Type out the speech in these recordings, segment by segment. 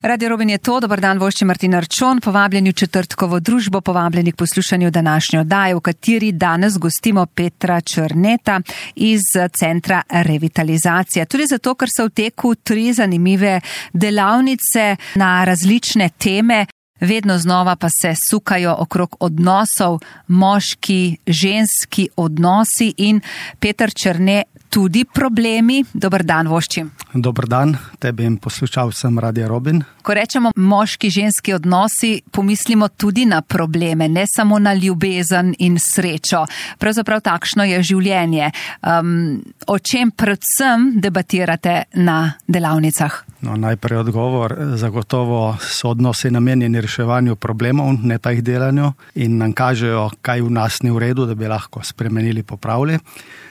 Radio Robin je to, dober dan, vošči Martin Arčon, povabljeni v četrtkovo družbo, povabljeni k poslušanju današnje oddaje, v kateri danes gostimo Petra Črneta iz Centra Revitalizacija. Tudi zato, ker so v teku 3 zanimive delavnice na različne teme, vedno znova pa se sukajo okrog odnosov, moški, ženski odnosi in Peter Črne tudi problemi. Dober dan, vošči. Dober dan, tebi in poslušalcem Radia Robin. Ko rečemo moški, ženski odnosi, pomislimo tudi na probleme, ne samo na ljubezen in srečo. Pravzaprav takšno je življenje. O čem predvsem debatirate na delavnicah? Najprej odgovor. Zagotovo so odnosi namenjeni reševanju problemov, ne pa jih delanju, in nam kažejo, kaj v nas ni v redu, da bi lahko spremenili, popravili.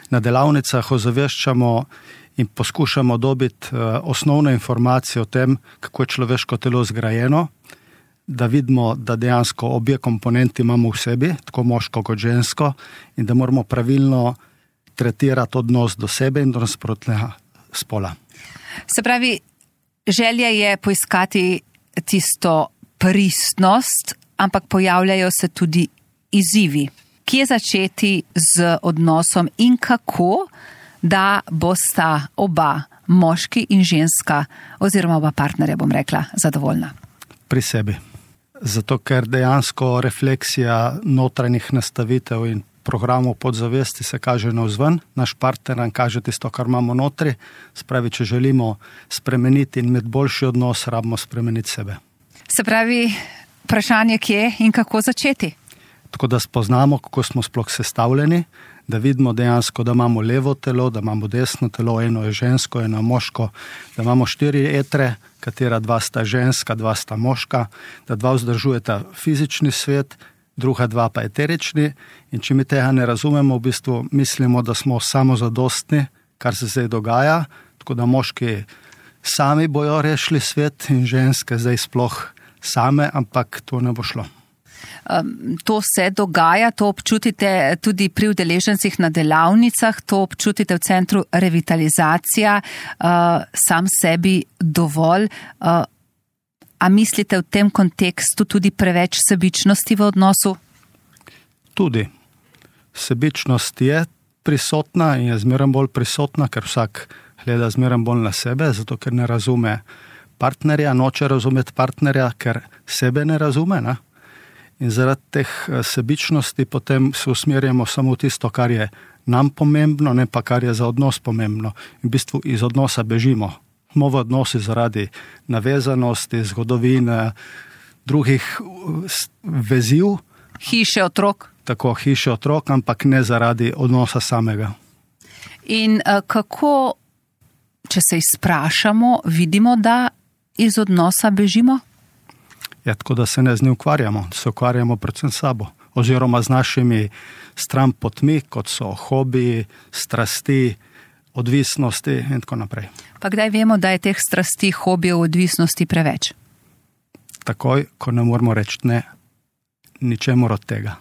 Na delavnicah ozaveščamo in poskušamo dobiti osnovne informacije o tem, kako je človeško telo zgrajeno, da vidimo, da dejansko obje komponenti imamo v sebi, tako moško kot žensko, in da moramo pravilno tretirati odnos do sebe in do nasprotnega spola. Se pravi, želja je poiskati tisto pristnost, ampak pojavljajo se tudi izzivi. Kje začeti z odnosom in kako, da bosta oba, moški in ženska, oziroma oba partnerja, bom rekla, zadovoljna? Pri sebi. Zato, ker dejansko refleksija notranjih nastavitev in programov podzavesti se kaže navzven, naš partner nam kaže tisto, kar imamo notri. Spravi, če želimo spremeniti in imeti boljši odnos, rabimo spremeniti sebe. Se pravi, vprašanje kje in kako začeti? Tako da spoznamo, kako smo sploh sestavljeni, da vidimo dejansko, da imamo levo telo, da imamo desno telo, eno je žensko, eno je moško, da imamo 4 etre, katera 2 sta ženska, 2 sta moška, da 2 vzdržujeta fizični svet, druga 2 pa eterični, in če mi tega ne razumemo, v bistvu mislimo, da smo samozadostni, kar se zdaj dogaja, tako da moški sami bojo rešili svet in ženske zdaj sploh same, ampak to ne bo šlo. To se dogaja, to občutite tudi pri udeležencih na delavnicah, to občutite v Centru Revitalizacija, sam sebi dovolj. A mislite v tem kontekstu tudi preveč sebičnosti v odnosu? Tudi. Sebičnost je prisotna in je zmeraj bolj prisotna, ker vsak gleda zmeraj bolj na sebe, zato ker ne razume partnerja, noče razumeti partnerja, ker sebe ne razume, ne? In zaradi teh sebičnosti potem se usmerjamo samo v tisto, kar je nam pomembno, ne pa kar je za odnos pomembno. In v bistvu iz odnosa bežimo. Smo v odnosi zaradi navezanosti, zgodovine, drugih veziv. Hiše, otrok. Tako, hiše, otrok, ampak ne zaradi odnosa samega. In kako, če se izprašamo, vidimo, da iz odnosa bežimo? Ja, tako da se ne z njim ukvarjamo, se ukvarjamo predvsem sabo, oziroma z našimi stran potmi, kot so hobiji, strasti, odvisnosti in tako naprej. Pa kdaj vemo, da je teh strasti, hobijev, odvisnosti preveč? Takoj, ko ne moramo reči ne, ničemur od tega.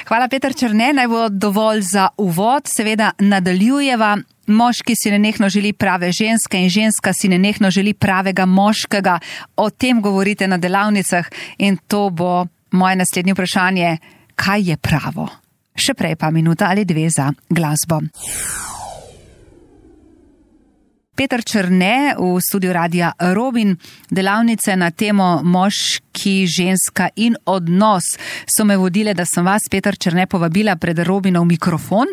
Hvala, Peter Črne, naj bo dovolj za uvod, seveda nadaljujeva. Moški si nenehno želi prave ženske in ženska si nenehno želi pravega moškega. O tem govorite na delavnicah in to bo moje naslednje vprašanje, kaj je pravo? Še prej pa minuta ali 2 za glasbo. Peter Črne v studiu Radia Robin, delavnice na temo moški, ženska in odnos so me vodile, da sem vas, Peter Črne, povabila pred Robinov mikrofon.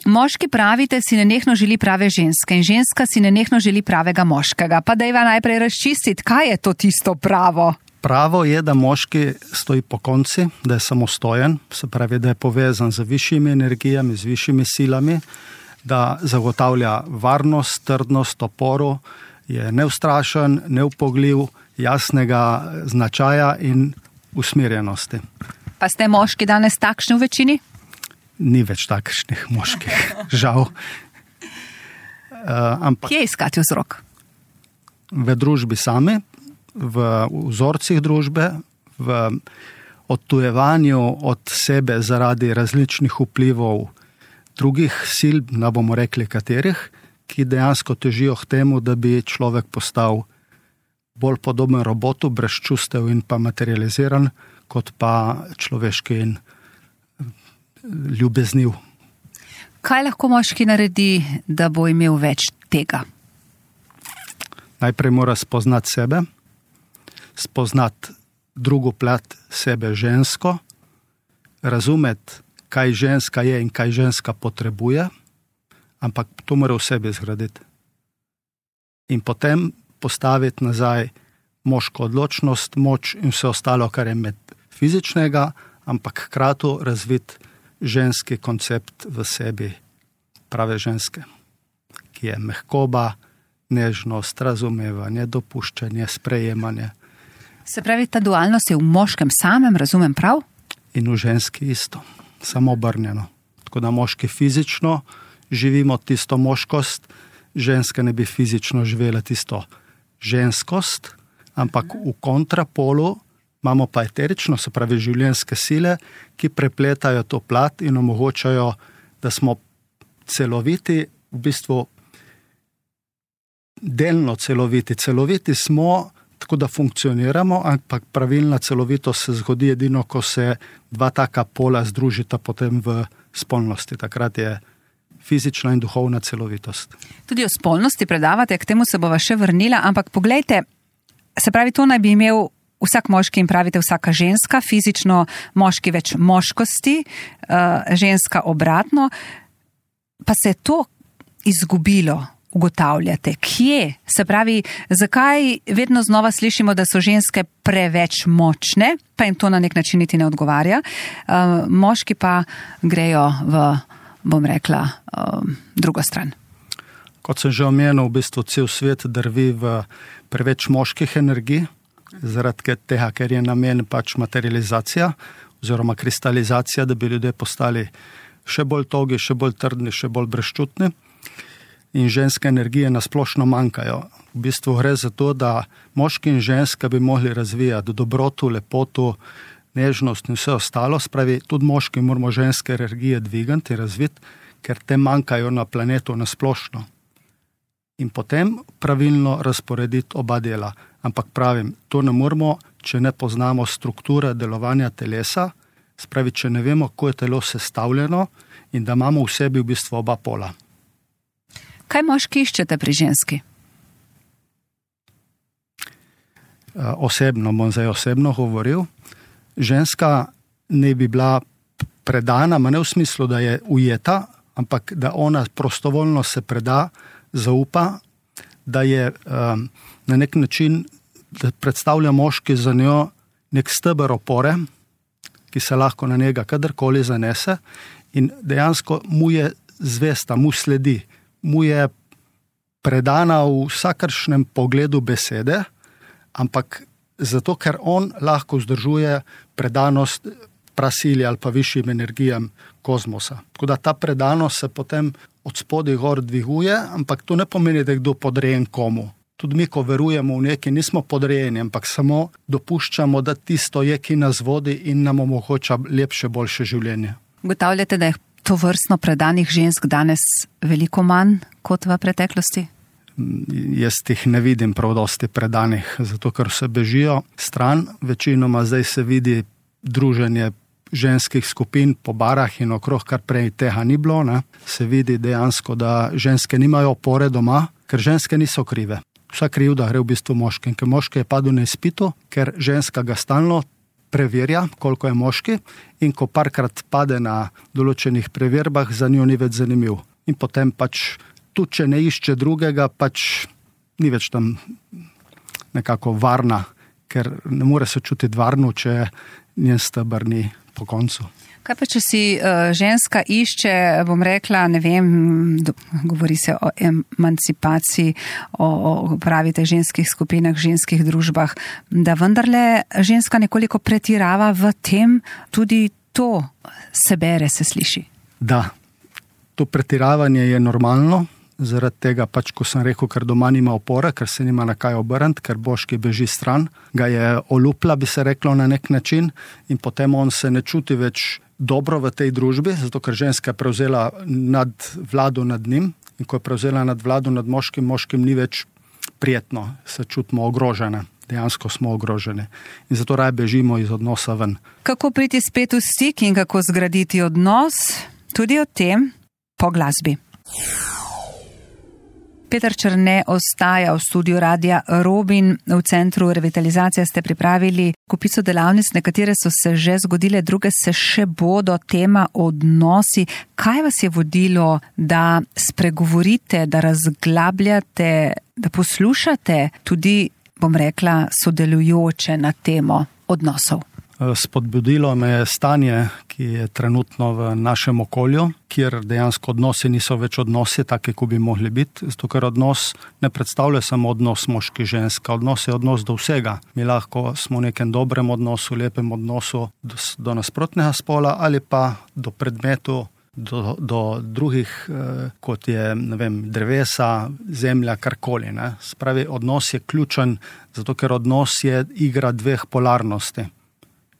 Moški pravite, si nenehno želi prave ženske in ženska si nenehno želi pravega moškega. Pa dajva najprej razčistiti, kaj je to tisto pravo? Pravo je, da moški stoji po konci, da je samostojen, se pravi, da je povezan z višjimi energijami, z višjimi silami, da zagotavlja varnost, trdnost, oporo, je neustrašen, neupogljiv, jasnega značaja in usmerjenosti. Pa ste moški danes takšni v večini? Ni več takšnih moških, žal. Kje iskati vzrok? V družbi sami, v vzorcih družbe, v odtujevanju od sebe zaradi različnih vplivov drugih sil, ne bomo rekli katerih, ki dejansko težijo k temu, da bi človek postal bolj podoben robotu, brez čustev in pa materializiran, kot pa človeški in ljubezniv. Kaj lahko moški naredi, da bo imel več tega? Najprej mora spoznati sebe, spoznati drugo plat sebe žensko, razumeti, kaj ženska je in kaj ženska potrebuje, ampak to mora v sebi zgraditi. In potem postaviti nazaj moško odločnost, moč in vse ostalo, kar je med fizičnega, ampak hkrati razviti ženski koncept v sebi, prave ženske, ki je mehkoba, nežnost, razumevanje, dopuščanje, sprejemanje. Se pravi, ta dualnost je v moškem samem, razumem prav? In v ženski isto, samo obrnjeno. Tako da moški fizično živimo tisto moškost, ženska ne bi fizično živela tisto ženskost, ampak v kontrapolu imamo pa eterično, se pravi življenjske sile, ki prepletajo to plat in omogočajo, da smo celoviti, v bistvu delno celoviti. Celoviti smo, tako da funkcioniramo, ampak pravilna celovitost se zgodi edino, ko se dva taka pola združita potem v spolnosti. Takrat je fizična in duhovna celovitost. Tudi o spolnosti predavate, k temu se bova še vrnila, ampak poglejte, se pravi, to naj bi imel vsak moški in pravite vsaka ženska, fizično moški več moškosti, ženska obratno, pa se je to izgubilo, ugotavljate. Kje? Se pravi, zakaj vedno znova slišimo, da so ženske preveč močne, pa jim to na nek način niti ne odgovarja, moški pa grejo v, bom rekla, drugo stran. Kot sem že omenil, v bistvu cel svet drvi v preveč moških energij, zaradi tega, ker je namen pač materializacija oziroma kristalizacija, da bi ljudje postali še bolj togi, še bolj trdni, še bolj brezčutni. In ženske energije nasplošno manjkajo. V bistvu gre za to, da moški in ženska bi mogli razvijati dobroto, lepoto, nežnost in vse ostalo. Spravi, tudi moški moramo ženske energije dvigati in razviti, ker te manjkajo na planetu nasplošno. In potem pravilno razporediti oba dela. Ampak pravim, to ne moramo, če ne poznamo strukture delovanja telesa, spravi, če ne vemo, kako je telo sestavljeno in da imamo v sebi v bistvu oba pola. Kaj moški iščete pri ženski? Bom zdaj osebno govoril. Ženska ne bi bila predana, ma ne v smislu, da je ujeta, ampak da ona prostovoljno se preda, zaupa, da je na nek način, da predstavlja moški za njo nek steber opore, ki se lahko na njega kadarkoli zanese in dejansko mu je zvesta, mu sledi, mu je predana v vsakršnem pogledu besede, ampak zato, ker on lahko vzdržuje predanost prasili ali pa višjim energijam kozmosa. Tako da ta predanost se potem od spodaj gor dviguje, ampak to ne pomeni, da je kdo podrejen komu. Tudi mi, ko verujemo v nekaj, nismo podrejeni, ampak samo dopuščamo, da tisto je, ki nas vodi in nam omogoča lepše, boljše življenje. Ugotavljate, da je to vrstno predanih žensk danes veliko manj kot v preteklosti? Jaz tih ne vidim prav dosti predanih, zato ker se bežijo stran. Večinoma zdaj se vidi druženje ženskih skupin po barah in okrog, kar prej tega ni bilo. Ne. Se vidi dejansko, da ženske nimajo opore doma, ker ženske niso krive. Vsa krivda gre v bistvu moški, ker moški je padel na izpitu, ker ženska ga stalno preverja, koliko je moški, in ko parkrat pade na določenih preverbah, za njo ni več zanimiv. In potem pač, tudi če ne išče drugega, pač ni več tam nekako varna, ker ne more se čutiti varno, če njen steber ni po koncu. Kaj pa, če si ženska išče, bom rekla, ne vem, govori se o emancipaciji, o pravite ženskih skupinah, ženskih družbah, da vendarle ženska nekoliko pretirava v tem, tudi to se bere, se sliši. Da, to pretiravanje je normalno, zaradi tega pač, ko sem rekel, ker doma nima opore, ker se nima na kaj obrniti, ker boški beži stran, ga je olupla, bi se reklo na nek način, in potem on se ne čuti več dobro v tej družbi, zato ker ženska je prevzela vlado nad njim, in ko je prevzela vlado nad moškim, moškim ni več prijetno, se čutimo ogrožene. Dejansko smo ogroženi. In zato raje bežimo iz odnosa ven. Kako priti spet v stik in kako zgraditi odnos? Tudi o tem po glasbi. Peter Črne ostaja v studiu Radia Robin. V Centru revitalizacije ste pripravili kupico delavnic, nekatere so se že zgodile, druge se še bodo. Tema odnosi. Kaj vas je vodilo, da spregovorite, da razglabljate, da poslušate tudi, bom rekla, sodelujoče na temo odnosov? Spodbudilo me je stanje, ki je trenutno v našem okolju, kjer dejansko odnosi niso več odnosi, take, kot bi mogli biti. Zato, ker odnos ne predstavlja samo odnos moški-ženska, odnos je odnos do vsega. Mi lahko smo v nekem dobrem odnosu, lepem odnosu do nasprotnega spola ali pa do predmetu, do drugih, kot je, ne vem, drevesa, zemlja, karkoli. Spravi, odnos je ključen, zato ker odnos je igra dveh polarnosti.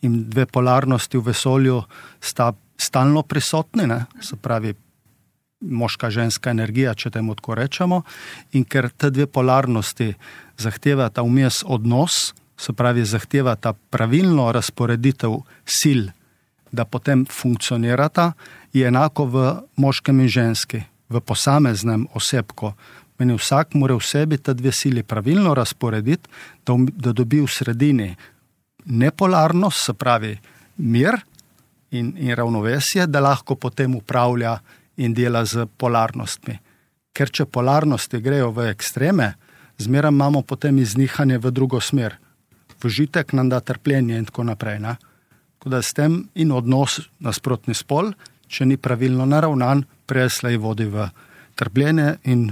In dve polarnosti v vesolju sta stalno prisotni, se pravi moška-ženska energija, če temu tako rečemo. In ker te dve polarnosti zahtevata vmes odnos, se pravi zahtevata pravilno razporeditev sil, da potem funkcionirata, je enako v moškem in ženski, v posameznem osebku. Meni vsak mora v sebi te dve sili pravilno razporediti, da dobi v sredini nepolarnost, se pravi mir in ravnovesje, da lahko potem upravlja in dela z polarnostmi. Ker če polarnosti grejo v ekstreme, zmeraj imamo potem iznihanje v drugo smer. Užitek nam da trpljenje in tako naprej. Tako da s tem in odnos nasprotni spol, če ni pravilno naravnan, preslej vodi v trpljenje in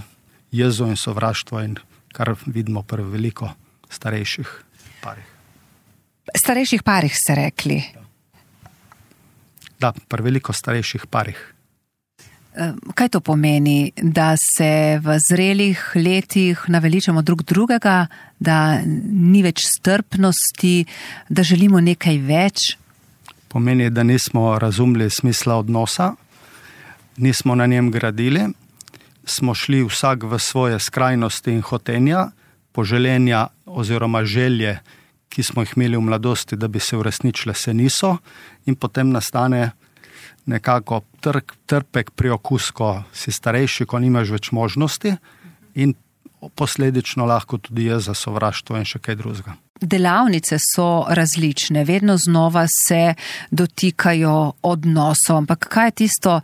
jezo in sovraštvo, in kar vidimo pri veliko starejših parih. Starejših parih ste rekli? Da, pri veliko starejših parih. Kaj to pomeni, da se v zrelih letih naveličamo drug drugega, da ni več strpnosti, da želimo nekaj več? Pomeni, da nismo razumeli smisla odnosa, nismo na njem gradili, smo šli vsak v svoje skrajnosti in hotenja, poželenja oziroma želje, ki smo jih imeli v mladosti, da bi se uresničile, se niso, in potem nastane nekako trpek priokus, ko si starejši, ko nimaš več možnosti, in posledično lahko tudi je za sovraštvo in še kaj drugega. Delavnice so različne, vedno znova se dotikajo odnosov, ampak kaj je tisto,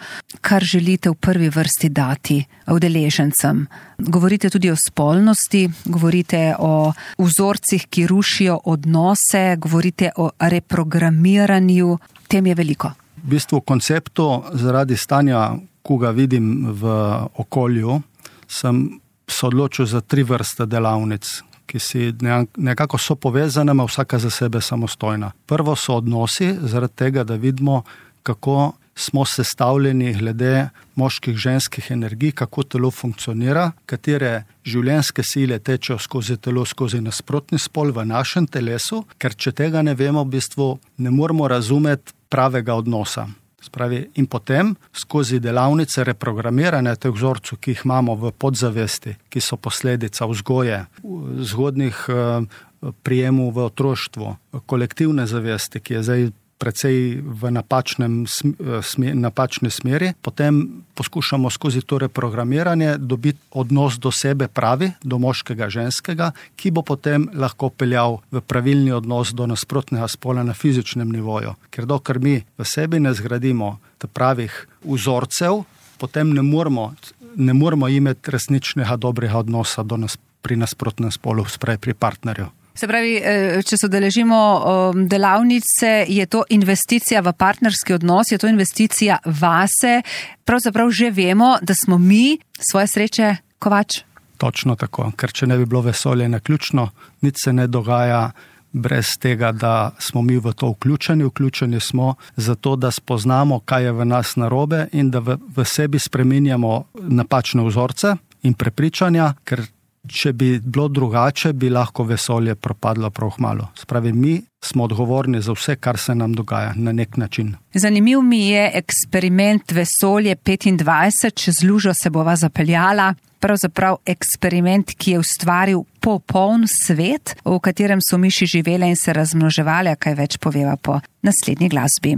kar želite v prvi vrsti dati udeležencem? Govorite tudi o spolnosti, govorite o vzorcih, ki rušijo odnose, govorite o reprogramiranju, tem je veliko. V bistvu v konceptu, zaradi stanja, ko ga vidim v okolju, sem se odločil za 3 vrste delavnic, ki si nekako so povezane, a vsaka za sebe samostojna. Prvo so odnosi, zaradi tega, da vidimo, kako smo sestavljeni glede moških, ženskih energij, kako telo funkcionira, katere življenjske sile tečejo skozi telo, skozi nasprotni spol v našem telesu, ker če tega ne vemo, v bistvu ne moramo razumeti pravega odnosa. Spravi, in potem skozi delavnice reprogramiranja teh vzorcev, ki jih imamo v podzavesti, ki so posledica vzgoje, zgodnih prijemov v otroštvu, kolektivne zavesti, ki je zdaj precej v napačni smeri, potem poskušamo skozi to reprogramiranje dobiti odnos do sebe pravi, do moškega, ženskega, ki bo potem lahko peljal v pravilni odnos do nasprotnega spola na fizičnem nivoju. Ker dokler mi v sebi ne zgradimo pravih vzorcev, potem ne moramo imeti resničnega dobrega odnosa pri nasprotnem spolu, pri partnerju. Se pravi, če se udeležimo delavnice, je to investicija v partnerski odnos, je to investicija vase. Pravzaprav že vemo, da smo mi svoje sreče kovač. Točno tako, ker če ne bi bilo vesolje naključno, nič se ne dogaja brez tega, da smo mi v to vključeni. Vključeni smo zato, da spoznamo, kaj je v nas narobe in da v sebi spreminjamo napačne vzorce in prepričanja, ker če bi bilo drugače, bi lahko vesolje propadlo prav malo. Spravi, mi smo odgovorni za vse, kar se nam dogaja na nek način. Zanimiv mi je eksperiment Vesolje 25, čez lužo se bova zapeljala. pravzaprav eksperiment, ki je ustvaril popoln svet, v katerem so miši živele in se razmnoževale, kaj več poveva po naslednji glasbi.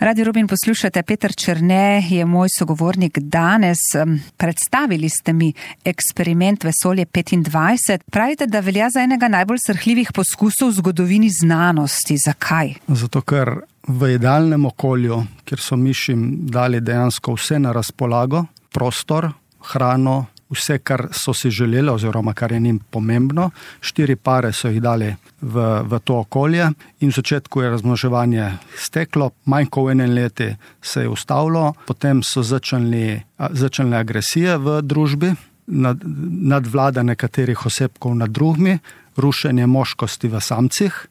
Radio Rubin poslušate, Peter Černe je moj sogovornik danes. Predstavili ste mi eksperiment Vesolje 25. Pravite, da velja za enega najbolj srhljivih poskusov v zgodovini znanosti. Zakaj? Zato, ker v idealnem okolju, kjer so mišim dali dejansko vse na razpolago, prostor, hrano, vse, kar so si želeli oziroma kar je njim pomembno. 4 pare so jih dali v to okolje in v začetku je razmnoževanje steklo, manj kot v 1 letu se je ustavilo, potem so začele agresije v družbi, nadvlada nekaterih osebkov nad drugimi, rušenje moškosti v samcih.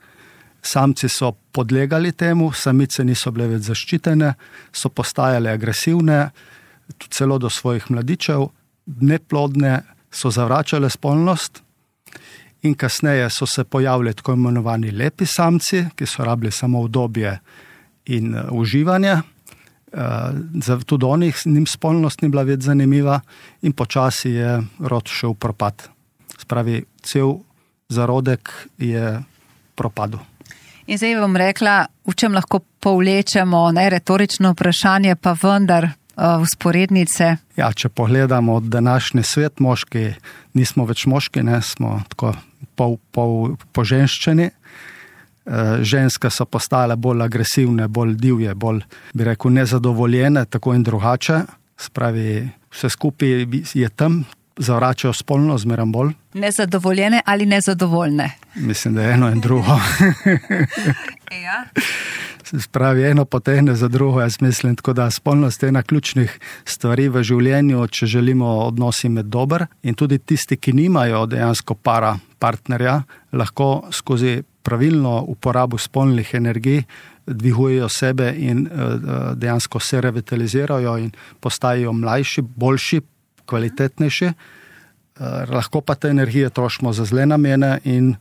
Samci so podlegali temu, samice niso bile več zaščitene, so postajale agresivne, celo do svojih mladičev, neplodne, so zavračale spolnost in kasneje so se pojavili tako imenovani lepi samci, ki so rabili samo udobje in uživanje. Tudi njim spolnost ni bila več zanimiva in počasi je rod šel v propad. Spravi, cel zarodek je propadel. In zdaj bom rekla, v čem lahko povlečemo, retorično vprašanje, pa vendar vzporednice. Ja, če pogledamo današnji svet, moški nismo več moški, smo tako poženščeni. Ženske so postale bolj agresivne, bolj divje, bolj, bi rekel, nezadovoljene, tako in drugače. Spravi, vse skupaj je tam, zavračajo spolno zmeraj bolj. Nezadovoljene ali nezadovoljne? Mislim, da je eno in drugo. Ja. Spravi, eno potegne za drugo, jaz mislim, tako da spolnost je ena ključnih stvari v življenju, če želimo odnosi med dober. In tudi tisti, ki nimajo dejansko partnerja, lahko skozi pravilno uporabo spolnih energij dvigujejo sebe in dejansko se revitalizirajo in postajajo mlajši, boljši, kvalitetnejši. Lahko pa te energije trošimo za zle namene in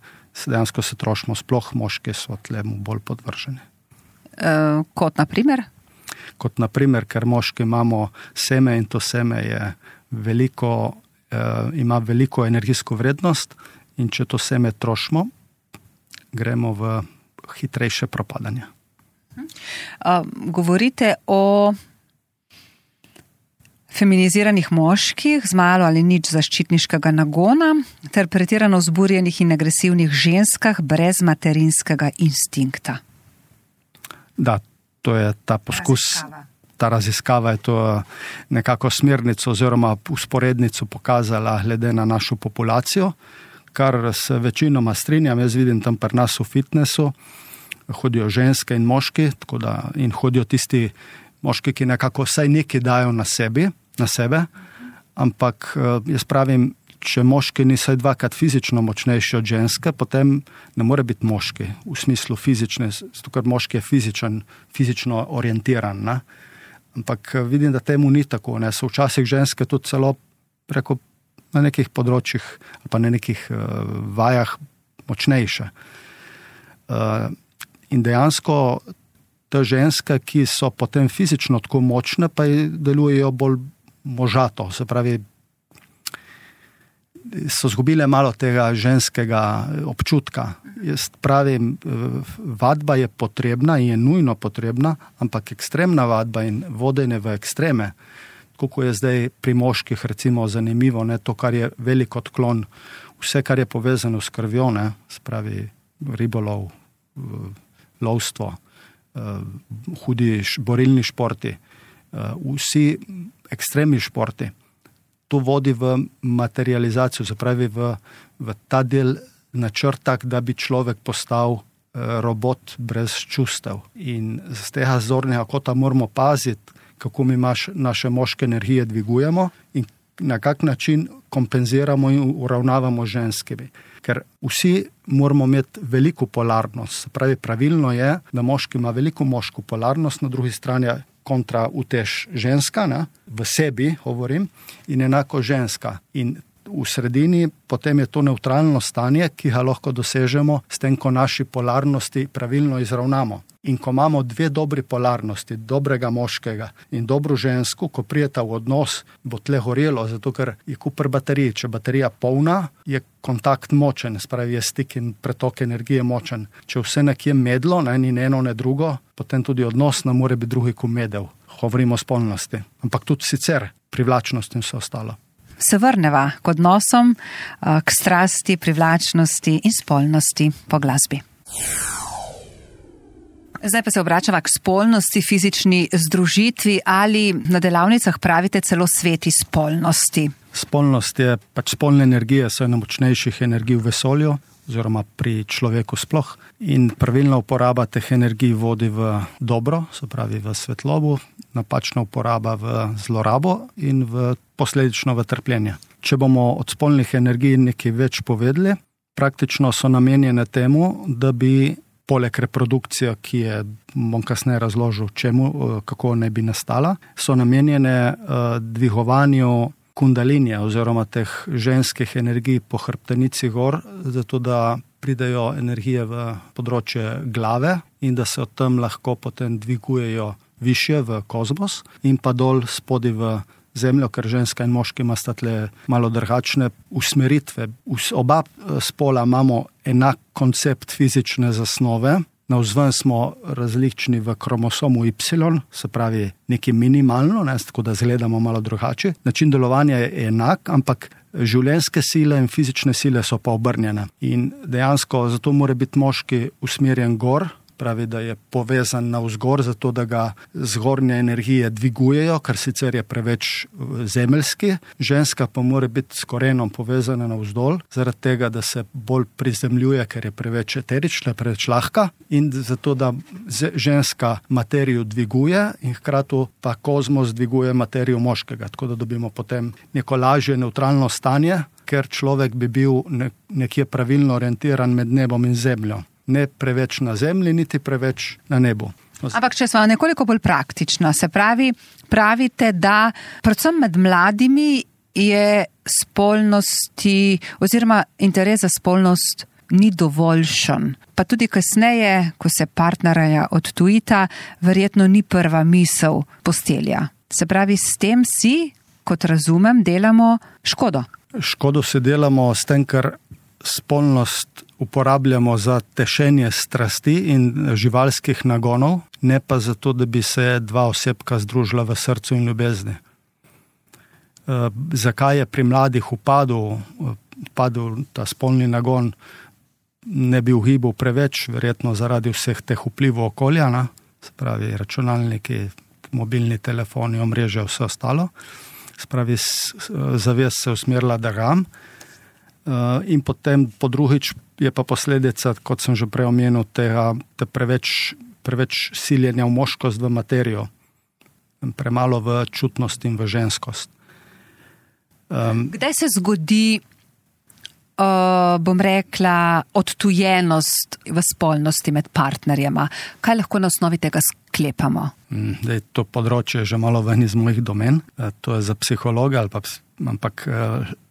dejansko se trošimo, sploh moški so tlemu bolj podvrženi. Kot na primer? Kot na primer, ker moški imamo seme in to seme je veliko, ima veliko energijsko vrednost in če to seme trošimo, gremo v hitrejše propadanje. Govorite o feminiziranih moških z malo ali nič zaščitniškega nagona ter pretirano vzburjenih in agresivnih ženskah brez materinskega instinkta. Da, to je ta poskus, ta raziskava je to nekako smernico oziroma usporednico pokazala glede na našo populacijo, kar se večinoma strinjam, jaz vidim tam pri nas v fitnessu, hodijo ženske in moški, tako da in hodijo tisti moški, ki nekako vsaj nekaj dajo na sebe, ampak jaz pravim, če moški ni vsaj 2krat fizično močnejši od ženske, potem ne more biti moški v smislu fizične, zato ker moški je fizično orientiran. Ne? Ampak vidim, da temu ni tako. Ne? So včasih ženske tudi celo preko na nekih področjih ali pa na nekih vajah močnejše. In dejansko te ženske, ki so potem fizično tako močne, pa delujejo bolj možato, se pravi, so zgubile malo tega ženskega občutka. Jaz pravim, vadba je potrebna in je nujno potrebna, ampak ekstremna vadba in vodenje v ekstreme, kako je zdaj pri moških recimo zanimivo, ne, to, kar je velik odklon, vse, kar je povezano s krvjo, ne, spravi ribolov, lovstvo, hudi borilni športi, vsi ekstremni športi. To vodi v materializacijo, se pravi v ta del načrta, da bi človek postal robot brez čustev. In z tega zornega kota moramo paziti, kako mi naše moške energije dvigujemo in na kak način kompenziramo in uravnavamo ženskimi. Ker vsi moramo imeti veliko polarnost. Se pravi, pravilno je, da moški ima veliko moško polarnost, na drugi strani kontra utež ženska, ne? V sebi govorim, in enako ženska. In v sredini, potem je to nevtralno stanje, ki ga lahko dosežemo s tem, ko naši polarnosti pravilno izravnamo. In ko imamo dve dobri polarnosti, dobrega moškega in dobro žensko, ko prijeta v odnos, bo tle gorelo, zato ker je kupr baterij. Če baterija polna, je kontakt močen, spravi je stik in pretok energije močen. Če vse nekje medlo, ni eno, ne drugo, potem tudi odnos ne more biti drugi kot medel. Govorimo o spolnosti, ampak tudi sicer privlačnost in vse ostalo. Se vrneva k odnosom, k strasti, privlačnosti in spolnosti po glasbi. Zdaj pa se obračava k spolnosti, fizični združitvi ali na delavnicah pravite celo sveti spolnosti. Spolnost je spolne energije, so ena močnejših energij v vesolju oziroma pri človeku sploh in pravilna uporaba teh energij vodi v dobro, se pravi v svetlobo, napačna uporaba v zlorabo in posledično v trpljenje. Če bomo od spolnih energij nekaj več povedali, praktično so namenjene temu, da bi poleg reprodukcije, ki je, bom kasneje razložil, kako ne bi nastala, so namenjene dvigovanju kundalinije oziroma teh ženskih energij po hrbtenici gor, zato da pridejo energije v področje glave in da se od tam lahko potem dvigujejo višje v kozmos in pa dol spodaj v zemljo, ker ženska in moški ima tle malo drugačne usmeritve. Oba spola imamo enak koncept fizične zasnove, navzven smo različni v kromosomu Y, se pravi nekaj minimalno, tako da izgledamo malo drugače. Način delovanja je enak, ampak življenjske sile in fizične sile so pa obrnjene. In dejansko zato mora biti moški usmerjen gor, pravi, da je povezan navzgor, zato da ga zgornje energije dvigujejo, kar sicer je preveč zemeljski. Ženska pa mora biti s korenom povezana navzdol, zaradi tega, da se bolj prizemljuje, ker je preveč eterična, preveč lahka in zato, da ženska materijo dviguje in hkrati pa kozmos dviguje materijo moškega, tako da dobimo potem neko lažje neutralno stanje, ker človek bi bil nekje pravilno orientiran med nebom in zemljo. Ne preveč na zemlji, niti preveč na nebu. Ampak če smo nekoliko bolj praktična, se pravi, pravite, da predvsem med mladimi je spolnosti oziroma interes za spolnost ni dovoljšen. Pa tudi kasneje, ko se partnerja odtujita, verjetno ni prva misel postelja. Se pravi, s tem si, kot razumem, delamo škodo. Škodo se delamo s tem, ker spolnost uporabljamo za tešenje strasti in živalskih nagonov, ne pa zato, da bi se dva osebka združila v srcu in ljubezni. Zakaj je pri mladih upadel ta spolni nagon, ne bi ugibal preveč, verjetno zaradi vseh teh vplivov okolja, se pravi računalniki, mobilni telefoni, omrežja, vse ostalo. Se pravi, zavest se usmerila drugam. In potem po drugič je pa posledica, kot sem že prej omenil, te preveč siljenja v moškost, v materijo, premalo v čutnost in v ženskost. Kdaj se zgodi, bom rekla, odtujenost v spolnosti med partnerjema? Kaj lahko na osnovi tega sklepamo? To področje je že malo ven iz mojih domen, to je za psihologa, ampak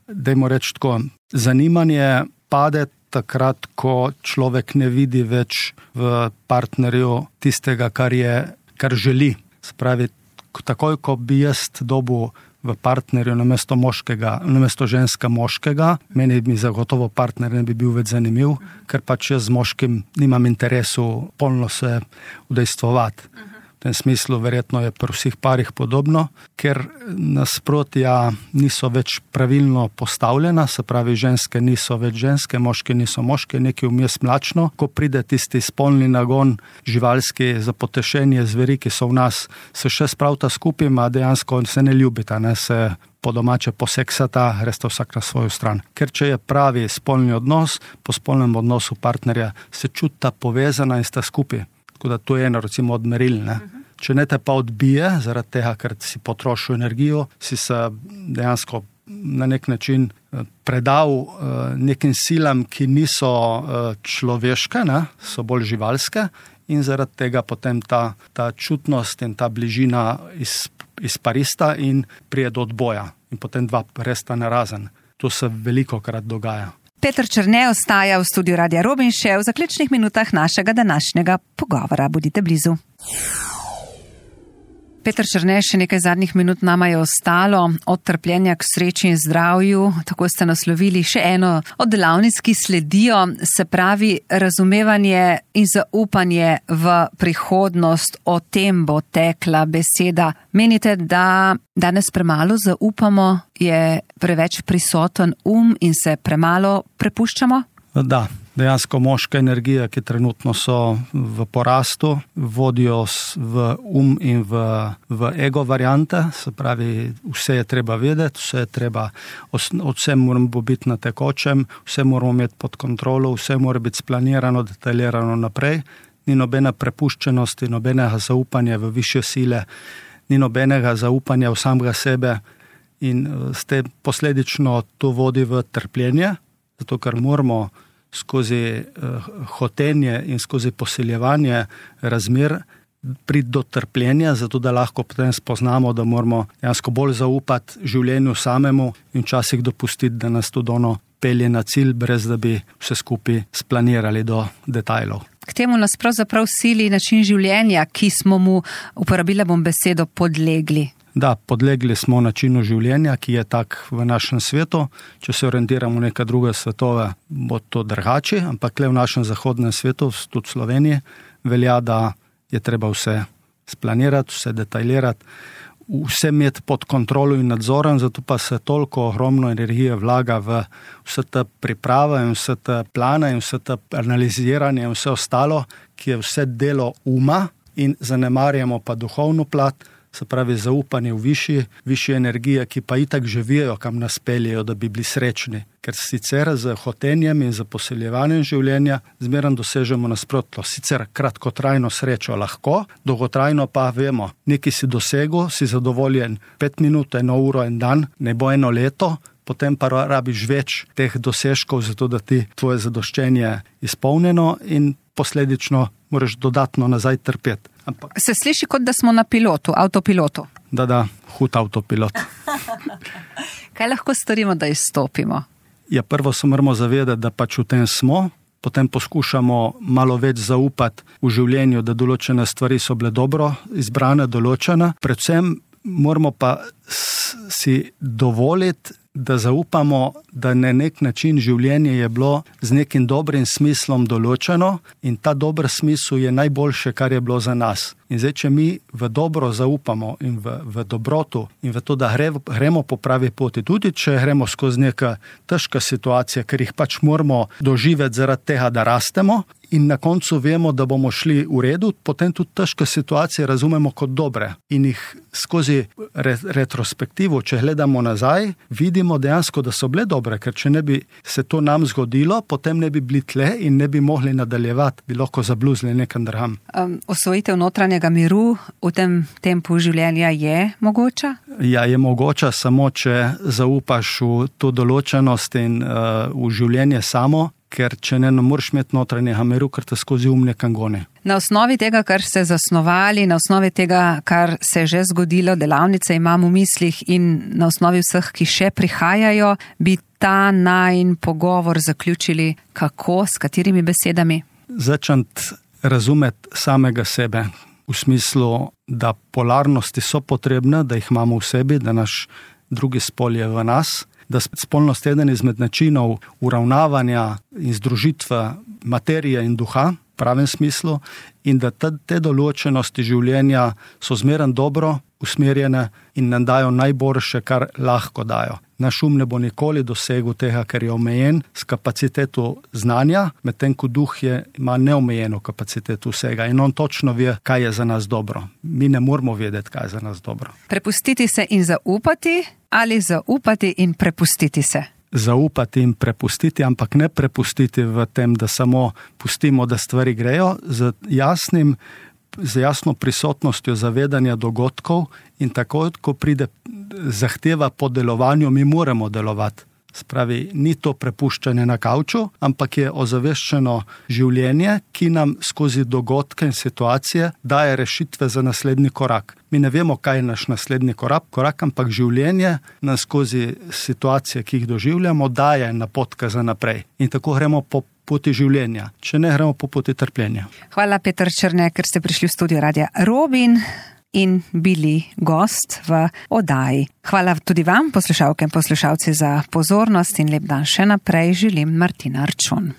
dajmo reči tako, zanimanje pade takrat, ko človek ne vidi več v partnerju tistega, kar želi. Spravi, takoj, ko bi jaz dobil v partnerju namesto ženska moškega, meni bi zagotovo partner ne bi bil več zanimiv, ker pač jaz z moškim nimam interesu polno se udejstvovati. V tem smislu verjetno je pri vseh parih podobno, ker nasprotja niso več pravilno postavljena, se pravi, ženske niso več ženske, moški niso moški, nekaj vmes mlačno. Ko pride tisti spolni nagon živalski za potešenje zveri, ki so v nas, se še spravita skupaj, a dejansko se ne ljubita, se po domače poseksata, gresta vsak na svojo stran. Ker če je pravi spolni odnos, po spolnem odnosu partnerja se čuta povezana in sta skupaj. Tako da to je eno, recimo, od meril. Če ne te pa odbije, zaradi tega, ker si potrošil energijo, si se dejansko na nek način predal nekim silam, ki niso človeške, so bolj živalske in zaradi tega potem ta čutnost in ta bližina izparista in prije do odboja in potem dva resta narazen. To se velikokrat dogaja. Peter Črne ostaja v studiu Radia Robin še v zaključnih minutah našega današnjega pogovora. Bodite blizu. Peter Črne, še nekaj zadnjih minut nama je ostalo. Od trpljenja k sreči in zdravju, tako ste naslovili še eno od delavnic, ki sledijo, se pravi razumevanje in zaupanje v prihodnost. O tem bo tekla beseda. Menite, da danes premalo zaupamo, je preveč prisoten in se premalo prepuščamo? Da. Dejansko moške energije, ki trenutno so v porastu, vodijo v in v ego variante, se pravi, vse je treba vedeti, vse moramo biti na tekočem, vse moramo imeti pod kontrolo, vse mora biti splanirano, detaljirano naprej, ni nobene prepuščenosti, nobenega zaupanja v višje sile, ni nobenega zaupanja v samega sebe in s tem posledično to vodi v trpljenje, zato ker moramo skozi hotenje in skozi posiljevanje razmer priti do trpljenja, zato da lahko potem spoznamo, da moramo dejansko bolj zaupati življenju samemu in včasih dopustiti, da nas tudi ono pelje na cilj, brez da bi vse skupaj splanirali do detajlov. K temu nas pravzaprav sili način življenja, ki smo mu, uporabila bom besedo, podlegli. Da, podlegli smo načinu življenja, ki je tak v našem svetu. Če se orientiramo v neka druga svetova, bo to drugače, ampak le v našem zahodnem svetu, tudi v Sloveniji, velja, da je treba vse splanirati, vse detaljirati, vse imeti pod kontrolo in nadzorom, zato pa se toliko ogromno energije vlaga v vse te priprave in vse te plane in vse te analiziranje in vse ostalo, ki je vse delo in zanemarjamo pa duhovno plat, se pravi zaupanje v višje energije, ki pa itak že vejo, kam nas peljejo, da bi bili srečni. Ker sicer z hotenjem in z poseljevanjem življenja zmeraj dosežemo nasprotno. Sicer kratkotrajno srečo lahko, dolgotrajno pa vemo, nekaj si dosegel, si zadovoljen 5 minut, 1 uro, 1 dan, ne bo 1 leto, potem pa rabiš več teh dosežkov, zato da ti tvoje zadoščenje izpolnjeno in posledično moraš dodatno nazaj trpeti. Se sliši, kot da smo na pilotu, avtopilotu. Da, hud avtopilot. Kaj lahko storimo, da izstopimo? Ja, prvo se moramo zavedati, da pač v tem smo, potem poskušamo malo več zaupati v življenju, da določene stvari so bile dobro izbrane, določene. Predvsem moramo pa si dovoliti, da zaupamo, da na nek način življenje je bilo z nekim dobrim smislom določeno in ta dober smisel je najboljše, kar je bilo za nas. In zdaj, če mi v dobro zaupamo in v dobroto in v to, da gremo po pravi poti, tudi če gremo skozi neka težka situacija, ker jih pač moramo doživeti zaradi tega, da rastemo in na koncu vemo, da bomo šli v redu, potem tudi težke situacije razumemo kot dobre in jih skozi retrospektivo, če gledamo nazaj, vidimo dejansko, da so bile dobre, ker če ne bi se to nam zgodilo, potem ne bi bili tle in ne bi mogli nadaljevati, bi lahko zabluzili nekam drugam. Osvojitev notranjega miru v tem tempu življenja je mogoča? Ja, je mogoča, samo če zaupaš v to določenost in v življenje samo, ker če ne moreš imeti notranjega miru, ker te skozi nekam goni. Na osnovi tega, kar ste zasnovali, na osnovi tega, kar se je že zgodilo, delavnice imam v mislih in na osnovi vseh, ki še prihajajo, bi ta najin pogovor zaključili kako, s katerimi besedami? Začeti razumeti samega sebe, v smislu, da polarnosti so potrebne, da jih imamo v sebi, da naš drugi spol je v nas, da spolnost je eden izmed načinov uravnavanja in združitve materije in duha, v pravem smislu, in da te določenosti življenja so zmeraj dobro usmerjene in nam dajo najboljše, kar lahko dajo. Naš ne bo nikoli dosegel tega, ker je omejen s kapaciteto znanja, medtem ko duh ima neomejeno kapaciteto vsega in on točno ve, kaj je za nas dobro. Mi ne moramo vedeti, kaj je za nas dobro. Prepustiti se in zaupati ali zaupati in prepustiti se? Zaupati in prepustiti, ampak ne prepustiti v tem, da samo pustimo, da stvari grejo, z jasno prisotnostjo zavedanja dogodkov in takoj, ko pride zahteva po delovanju, mi moramo delovati. Spravi, ni to prepuščanje na kavču, ampak je ozaveščeno življenje, ki nam skozi dogodke in situacije daje rešitve za naslednji korak. Mi ne vemo, kaj je naš naslednji korak, ampak življenje nam skozi situacije, ki jih doživljamo, daje napotke za naprej. In tako gremo po poti življenja, če ne gremo po poti trpljenja. Hvala, Peter Črne, ker ste prišli v studio Radia Robin in bili gost v oddaji. Hvala tudi vam, poslušalke in poslušalci, za pozornost in lep dan še naprej želim Martina Arčon.